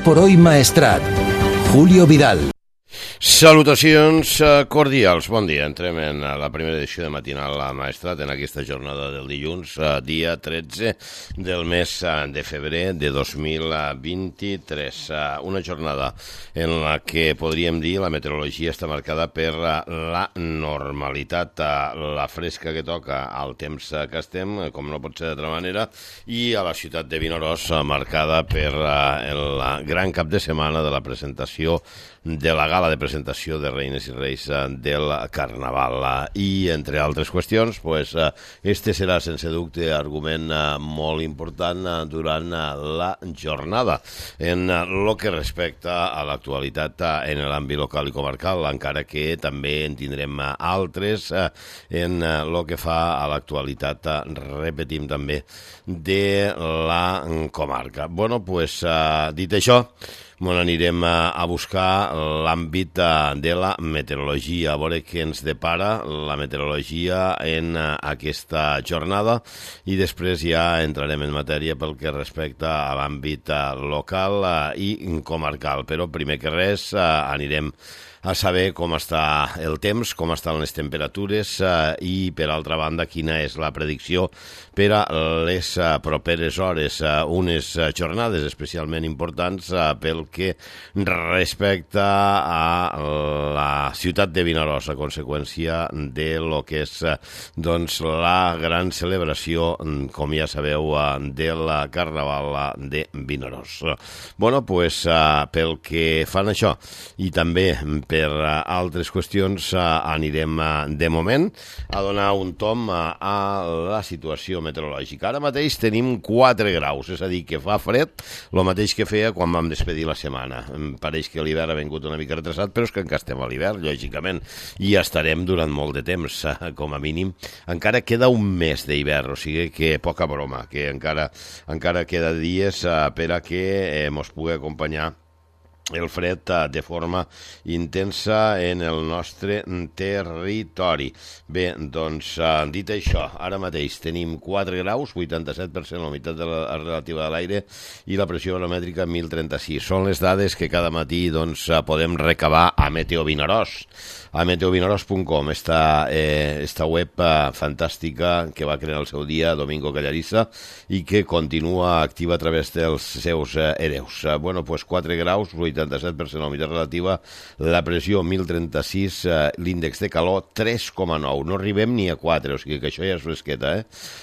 por hoy Maestrat. Julio Vidal. Salutacions cordials, bon dia. Entrem en la primera edició de Matinal Maestrat en aquesta jornada del dilluns, dia 13 del mes de febrer de 2023. Una jornada en la que podríem dir la meteorologia està marcada per la normalitat, la fresca que toca al temps que estem, com no pot ser d'altra manera, i a la ciutat de Vinaròs marcada per el gran cap de setmana de la presentació de la gala de presentació de Reines i Reis del Carnaval. I, entre altres qüestions, este serà, sense dubte, argument molt important durant la jornada. En el que respecta a l'actualitat en l'àmbit local i comarcal, encara que també en tindrem altres en el que fa a l'actualitat, repetim també, de la comarca. Bueno, dit això, anirem a buscar l'àmbit de la meteorologia, a veure què ens depara la meteorologia en aquesta jornada, i després ja entrarem en matèria pel que respecta a l'àmbit local i comarcal. Però primer que res anirem a saber com està el temps, com estan les temperatures i, per altra banda, quina és la predicció per a les properes hores. Unes jornades especialment importants pel que respecta a la ciutat de Vinaròs, a conseqüència de lo que és la gran celebració, com ja sabeu, del Carnaval de Vinaròs. Bueno, pel que fan això i també per altres qüestions anirem de moment a donar un tom a la situació meteorològica. Ara mateix tenim 4 graus, és a dir, que fa fred, el mateix que feia quan vam despedir la setmana. Em pareix que l'hivern ha vingut una mica retrasat, però és que encara estem a l'hivern, lògicament, i estarem durant molt de temps, com a mínim. Encara queda un mes d'hivern, o sigui que poca broma, que encara queda dies per a que mos pugui acompanyar el fred de forma intensa en el nostre territori. Bé, doncs, dit això, ara mateix tenim 4 graus, 87% la humitat relativa de l'aire i la pressió baromètrica 1036. Són les dades que cada matí podem recabar a Meteo Vinaròs, a meteovinaròs.com, esta web fantàstica que va crear el seu dia Domingo Callarissa i que continua activa a través dels seus hereus. Bueno, 4 graus, 87% la humitat relativa, la pressió 1036, l'índex de calor 3,9. No arribem ni a 4, o sigui que això ja és fresqueta,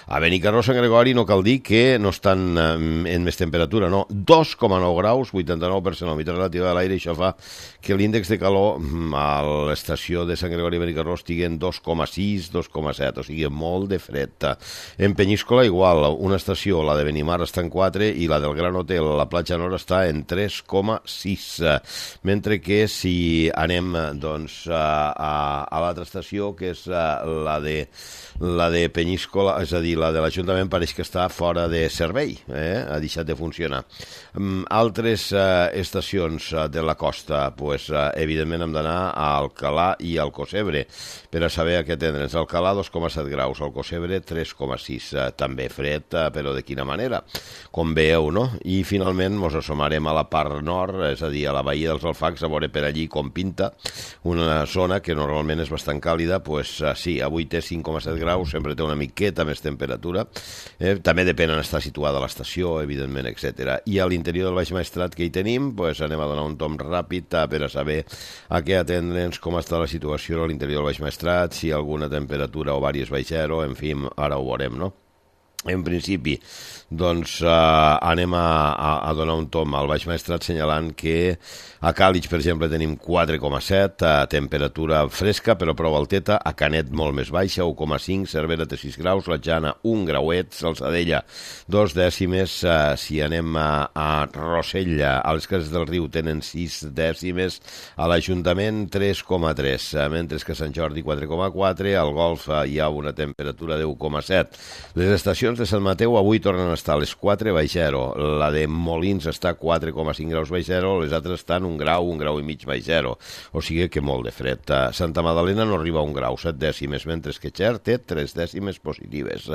A Benicarló, Sant Gregori, no cal dir que no estan en més temperatura, no. 2,9 graus, 89% la humitat relativa de l'aire, i això fa que l'índex de calor a l'estació de Sant Gregori i Benicarló estigui en 2,6, 2,7, o sigui, molt de fred. En Penyíscola, igual, una estació, la de Benimar, està en 4 i la del Gran Hotel, la Platja Nord, està en 3,6. Mentre que si anem a l'altra estació, que és la de Penyíscola, és a dir, la de l'Ajuntament, pareix que està fora de servei, ha deixat de funcionar. Altres estacions de la costa, evidentment hem d'anar a Alcalà i al Alcocebre per a saber a què atendre'ns. Alcalà 2,7 graus, Alcocebre 3,6, també fred, però de quina manera, com veieu, no? I finalment ens assomarem a la part nord, és a dir, a la Badia dels Alfacs, a veure per allí com pinta, una zona que normalment és bastant càlida. Sí, avui té 5,7 graus, sempre té una miqueta més temperatura, també depèn on està situada l'estació, evidentment, etc. I a l'interior del Baix Maestrat, que hi tenim, anem a donar un tom ràpid per a saber a què atendre'ns, com està la situació a l'interior del Baix Maestrat, si hi ha alguna temperatura o vàries baix zero, en fi, ara ho veurem, no? En principi, anem a donar un tom al Baix Maestrat assenyalant que a Càlig, per exemple, tenim 4,7, temperatura fresca però prou alteta, a Canet molt més baixa, 1,5, Cervera té 6 graus, la Jana 1 grauet, Salzadella 2 dècimes, si anem a Rossell, a les Cases del Riu tenen 6 dècimes, a l'Ajuntament 3,3, mentre que a Sant Jordi 4,4, al Golf hi ha una temperatura de 1,7. Les estacions estacions de Sant Mateu avui tornen a estar a les 4 baix 0. La de Molins està a 4,5 graus baix 0, les altres estan un grau i mig baix 0. O sigui que molt de fred. Santa Magdalena no arriba a 1 grau, 7 dècimes, mentre que Xer té 3 dècimes positives.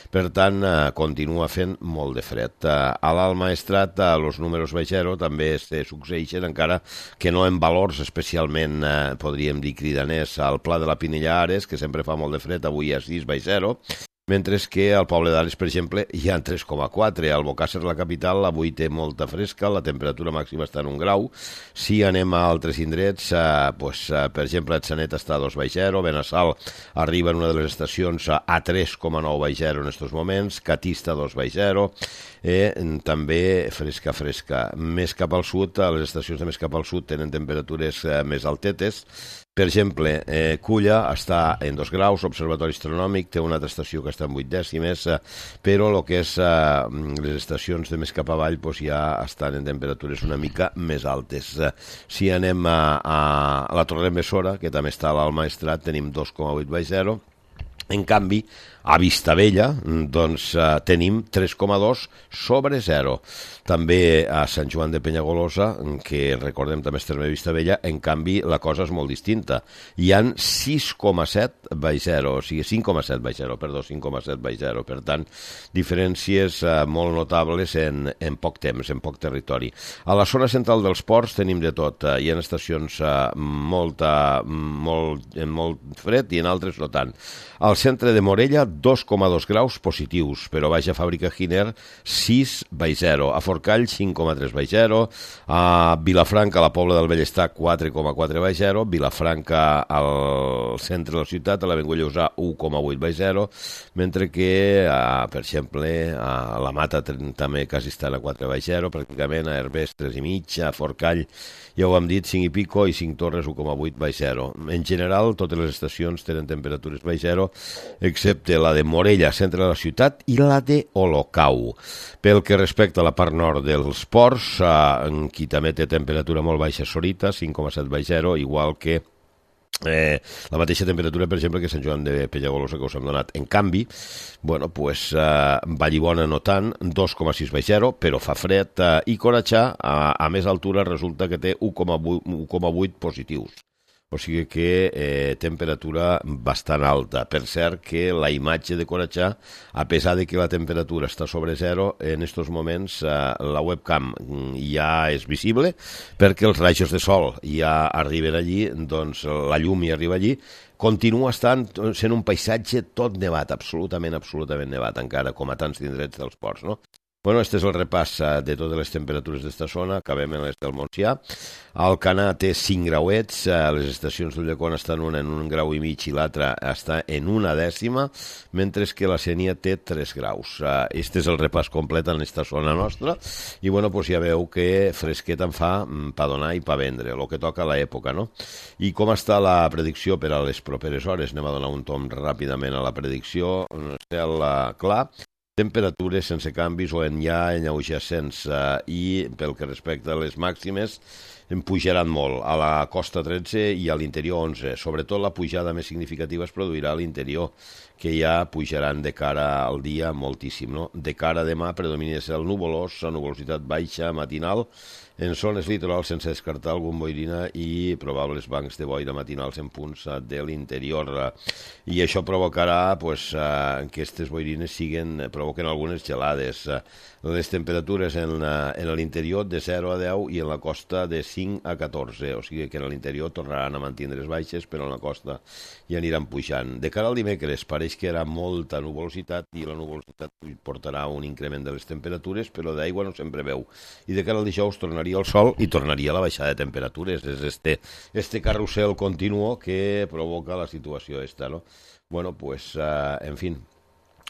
Per tant, continua fent molt de fred. A l'Alt Maestrat, els números baix 0 també se succeeixen, encara que no en valors especialment, podríem dir, cridaners. Al Pla de la Pinella Ares, que sempre fa molt de fred, avui a 6 baix 0, mentre que al Poble d'Ares, per exemple, hi ha 3,4. Al Bocàsser, la capital, avui té molta fresca, la temperatura màxima està en 1 grau. Si anem a altres indrets, per exemple, Atzanet està a 2 baix 0, Benassal arriba en una de les estacions a 3,9 baix 0 en aquests moments, Catista 2 baix 0, també fresca. Més cap al sud, les estacions de més cap al sud tenen temperatures més altetes. Per exemple, Culla està en 2 graus, l'Observatori Astronòmic té una altra estació que està en 8 dècimes, però el que és les estacions de més cap avall ja estan en temperatures una mica més altes. Si anem a la Torre-Bessora, que també està a l'Alt Maestrat, tenim 2,8 baix 0. En canvi, a Vistabella tenim 3,2 sobre 0. També a Sant Joan de Penyagolosa, que recordem també és terme de Vistabella, en canvi la cosa és molt distinta. Hi han 6,7 baix 0, o sigui 5,7 baix 0, perdó, 5,7 baix 0. Per tant, diferències molt notables en poc temps, en poc territori. A la zona central dels ports tenim de tot. Hi ha estacions molt fred i en altres no tant. Al centre de Morella, 2,2 graus positius, però baix a Fàbrica Giner, 6 baix 0. A Forcall, 5,3 baix 0. A Vilafranca, a la Pobla del Bellestar, 4,4 baix 0. Vilafranca, al centre de la ciutat, a l'Avinguda Lleusà, 1,8 baix 0. Mentre que, per exemple, a la Mata també quasi estan a 4 baix 0, pràcticament a Herbers, 3,5, a Forcall, ja ho hem dit, 5 i pico, i 5 Torres, 1,8 baix 0. En general, totes les estacions tenen temperatures baix 0, excepte la de Morella, centre de la ciutat, i la de Olocau. Pel que respecta a la part nord dels ports, qui també té temperatura molt baixa, Sorita, 5,7 baix 0, igual que la mateixa temperatura, per exemple, que Sant Joan de Penyagolosa, que us hem donat. En canvi, Vallibona no tant, 2,6 baix 0, però fa fred, i Coratxà, a més altura, resulta que té 1,8 positius. O sigui que temperatura bastant alta. Per cert que la imatge de Coratxà, a pesar de que la temperatura està sobre 0, en aquests moments la webcam ja és visible perquè els rajos de sol ja arriben allí, doncs la llum ja arriba allí. Continua sent un paisatge tot nevat, absolutament nevat, encara com a tants indrets dels ports, no? Bueno, este és el repàs de totes les temperatures d'esta zona. Acabem en les del Montsià. Alcanar té 5 grauets, les estacions d'Ulldecona estan una en 1 grau i mig i l'altra està en 1 dècima, mentre que la Sénia té 3 graus. Este és el repàs complet en aquesta zona nostra i ja veu que fresquet en fa pa donar i pa vendre, el que toca a l'època, no? I com està la predicció per a les properes hores? Anem a donar un tom ràpidament a la predicció. Cel clar, temperatures sense canvis o en lleugessents, i pel que respecta a les màximes pujaran molt. A la costa 13 i a l'interior 11. Sobretot la pujada més significativa es produirà a l'interior, que ja pujaran de cara al dia moltíssim, no? De cara a demà predomina el nuvolós, la nuvolositat baixa matinal, en zones litorals sense descartar algun boirina i probables bancs de boira matinals en punts de l'interior. I això provocarà que aquestes boirines provoquen algunes gelades. Les temperatures en l'interior de 0 a 10 i en la costa de 5 a 14. O sigui que en l'interior tornaran a mantindre's baixes, però en la costa ja aniran pujant. De cara al dimecres pareix que hi haurà molta nuvolositat i la nuvolositat portarà un increment de les temperatures, però d'aigua no se'n preveu. I de cara al dijous tornaria el sol i tornaria la baixada de temperatures. És este carrusel continuo que provoca la situació esta, no? En fi,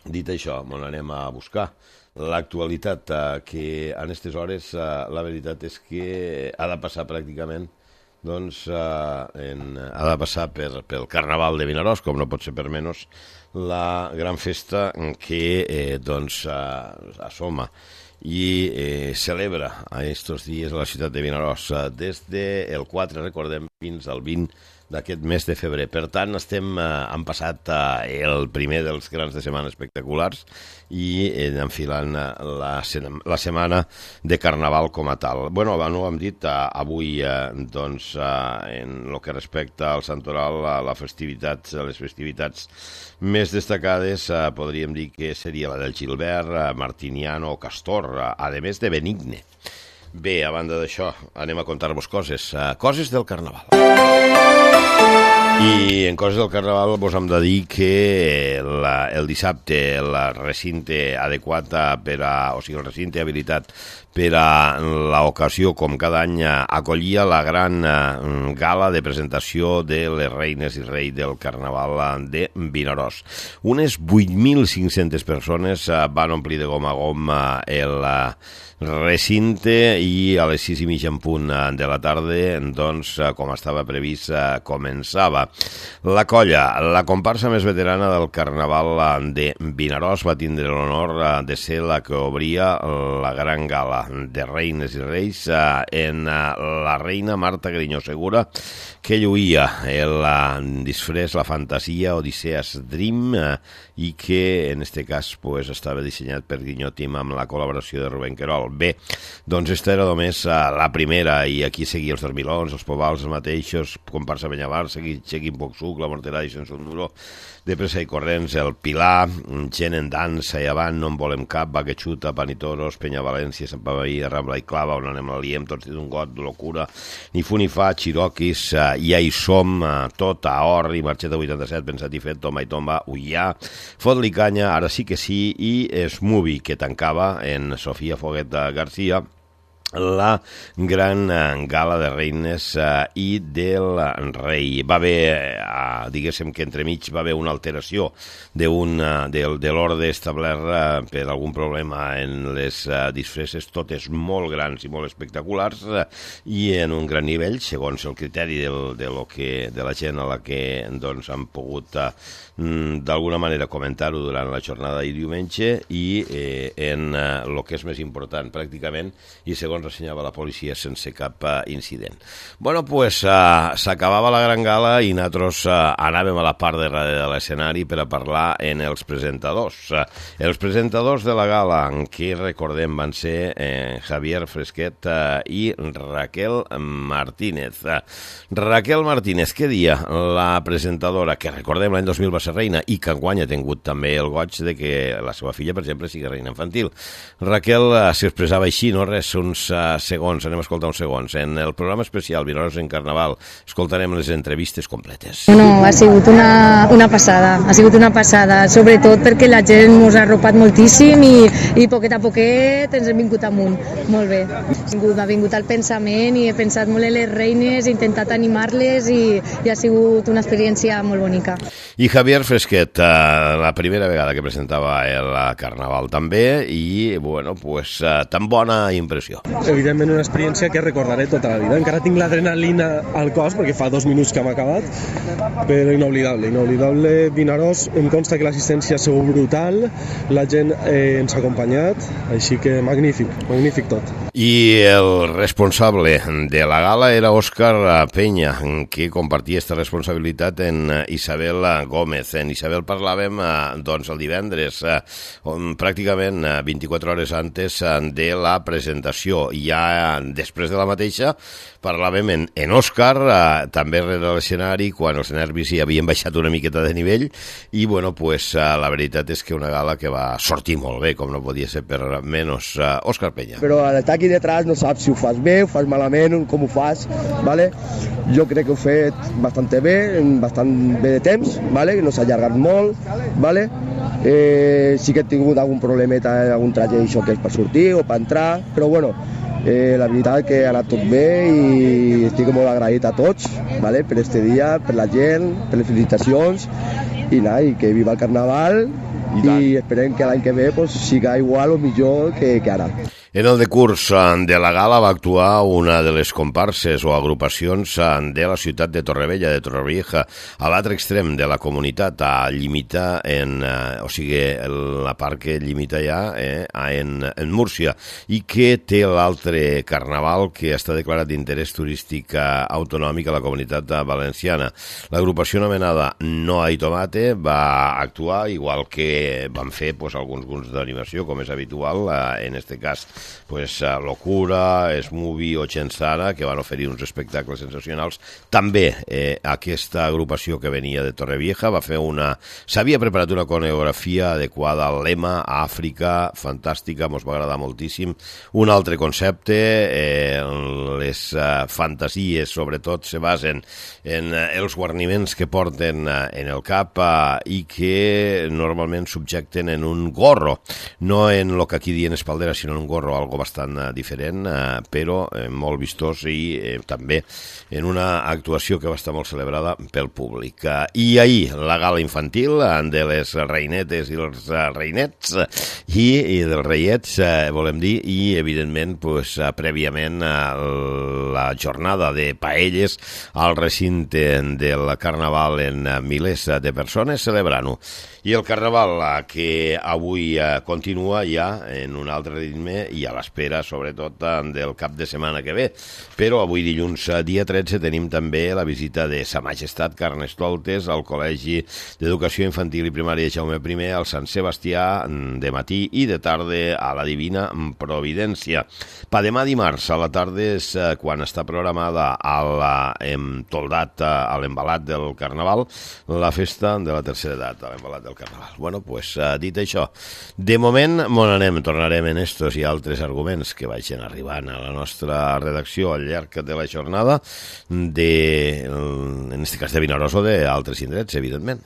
dit això, anem a buscar l'actualitat, que en aquestes hores la veritat és que ha de passar pràcticament ha de passar pel Carnaval de Vinaròs, com no pot ser per menys, la gran festa que assoma i celebra a estos dies a la ciutat de Vinaròs des del 4, recordem, fins al 20 d'aquest mes de febrer. Per tant, hem passat el primer dels grans de setmana espectaculars i enfilant la setmana de Carnaval com a tal. Bueno, no ho hem dit, avui, doncs, en el que respecta al Santoral, les festivitats més destacades, podríem dir que seria la del Gilbert, Martiniano o Castor, a més de Benigne. Bé, a banda d'això, anem a contar-vos coses del Carnaval. I en coses del Carnaval vos hem de dir que el dissabte el recinte adequat el recinte habilitat per a l'ocasió, com cada any, acollia la gran gala de presentació de les reines i reis del Carnaval de Vinaròs. Unes 8.500 persones van omplir de gom a gom el recinte i a les 6:30 en punt de la tarda, doncs, com estava previst, començava. La colla, la comparsa més veterana del Carnaval de Vinaròs, va tindre l'honor de ser la que obria la gran gala de reines i reis en la reina Marta Grinyó Segura, que lluïa el disfrés, la fantasia Odisseas Dream, i que en este cas estava dissenyat per Grinyó Team amb la col·laboració de Rubén Querol. Bé, doncs esta era només la primera, i aquí seguia els dormilons, els povals, els mateixos, comparsa Benyavar, Seguim Poc Suc, la Morterà i Sense un Duro, de pressa i corrents, el Pilar, gent en dansa i avant, no en volem cap, Baquechuta, Panitoros, Penya València, Sant Pavaí, Rambla i Clava, on anem l'Aliem, tots d'un got, locura, ni fu ni fa, Xiroquis, ja hi som, tot a Orri, Marxeta 87, Pensat i Fet, Tomba i Tomba, Ullà, Fot-li canya, ara sí que sí, i Smubi, que tancava en Sofia Foguet García, la gran gala de reines i del rei. Va haver, diguéssim que entremig va haver una alteració de l'ordre establert per algun problema en les disfresses, totes molt grans i molt espectaculars, i en un gran nivell, segons el criteri de la gent a la que doncs han pogut d'alguna manera comentar-ho durant la jornada i diumenge, i en el que és més important, pràcticament, i segons ressenyava la policia, sense cap incident. Bueno, pues s'acabava la gran gala i nosaltres anàvem a la part de darrere de l'escenari per a parlar en els presentadors. Els presentadors de la gala, que recordem van ser Javier Fresquet i Raquel Martínez. Raquel Martínez, què dia? La presentadora, que recordem l'any 2000 va ser reina i que enguany ha tingut també el goig de que la seva filla, per exemple, sigui reina infantil. Raquel s'expressava així, no res, uns segons, anem a escoltar uns segons. En el programa especial Vinaròs en Carnaval escoltarem les entrevistes completes. No, ha sigut una passada, sobretot perquè la gent ens ha arropat moltíssim i poquet a poquet ens hem vingut amunt, molt bé. Ha vingut al pensament i he pensat molt en les reines, he intentat animar-les i ha sigut una experiència molt bonica. I Javier Fresquet, la primera vegada que presentava el Carnaval també, i bueno, pues tan bona impressió. Evidentment una experiència que recordaré tota la vida. Encara tinc l'adrenalina al cos perquè fa 2 minuts que hem acabat, però inolvidable Vinaròs. Em consta que l'assistència ha sigut brutal, la gent ens ha acompanyat, així que magnífic tot. I el responsable de la gala era Òscar Penya, que compartia aquesta responsabilitat en Isabel Gómez. En Isabel parlàvem doncs el divendres, pràcticament 24 hores antes de la presentació. Ja després de la mateixa parlàvem en Òscar, també rere l'escenari, quan els nervis hi havien baixat una miqueta de nivell, i bueno, pues la veritat és que una gala que va sortir molt bé, com no podia ser per menys. Òscar Penya. Però l'estar aquí detrás no saps si ho fas bé, ho fas malament, com ho fas, ¿vale? Jo crec que ho he fet bastant bé de temps, ¿vale? No s'ha allargat molt, ¿vale? Sí que he tingut algun problemeta, algun traje d'això que és per sortir o per entrar, però bueno, la veritat que ha anat tot bé i estic molt agraït a tots, ¿vale? Per este dia, per la gent, per les felicitacions, i que viva el Carnaval, i esperem que l'any que ve siga igual o millor que ara. En el decurs de la gala va actuar una de les comparses o agrupacions de la ciutat de Torrevella, de Torrevieja, a l'altre extrem de la comunitat, a limitar o sigui, la part que limita ja en Múrcia, i que té l'altre carnaval que està declarat d'interès turístic autonòmic a la comunitat valenciana. L'agrupació anomenada No hay tomate va actuar, igual que van fer alguns grups d'animació, com és habitual, en este cas Locura, Smoothie o Chensara, que van oferir uns espectacles sensacionals. També aquesta agrupació que venia de Torrevieja s'havia preparat una coreografia adequada al lema Àfrica, fantàstica, mos va agradar moltíssim. Un altre concepte, les fantasies sobretot se basen en els guarniments que porten en el cap i que normalment subjecten en un gorro, no en el que aquí diuen espaldera, sinó en un gorro, algo bastant diferent, però molt vistós, i també en una actuació que va estar molt celebrada pel públic. I ahir la gala infantil de les reinetes i els reinets i dels reiets, volem dir, i evidentment prèviament la jornada de paelles al recinte del carnaval en milers de persones celebrant-ho. I el carnaval que avui continua ja en un altre ritme i a l'espera sobretot del cap de setmana que ve. Però avui dilluns dia 13 tenim també la visita de Sa Majestat Carnestoltes al Col·legi d'Educació Infantil i Primària Jaume I al Sant Sebastià de matí i de tarda a la Divina Providència. Per demà dimarts a la tarda és quan està programada a l'Embalat del Carnaval, la festa de la tercera edat, a l'Embalat del Carnaval. Bueno, dit això, de moment tornarem en estos i altres arguments que vagin arribant a la nostra redacció al llarg de la jornada, en aquest cas de Vinaròs o d'altres indrets, evidentment.